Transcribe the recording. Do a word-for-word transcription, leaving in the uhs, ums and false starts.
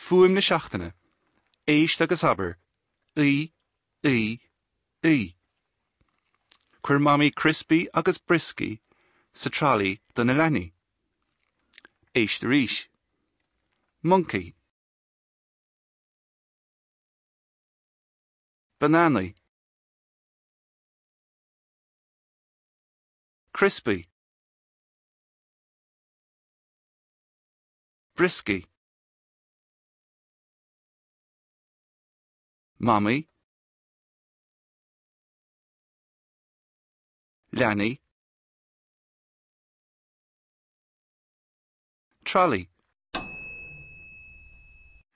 Fuaim na seachtaine. Éist agus abair. Í, í, í. Chuir Mamaí criospaí agus brioscaí sa tralaí do na leanaí. Éist arís. Moncaí. Bananaí. Criospaí. Brioscaí. Mamaí. Leanaí. Tralaí.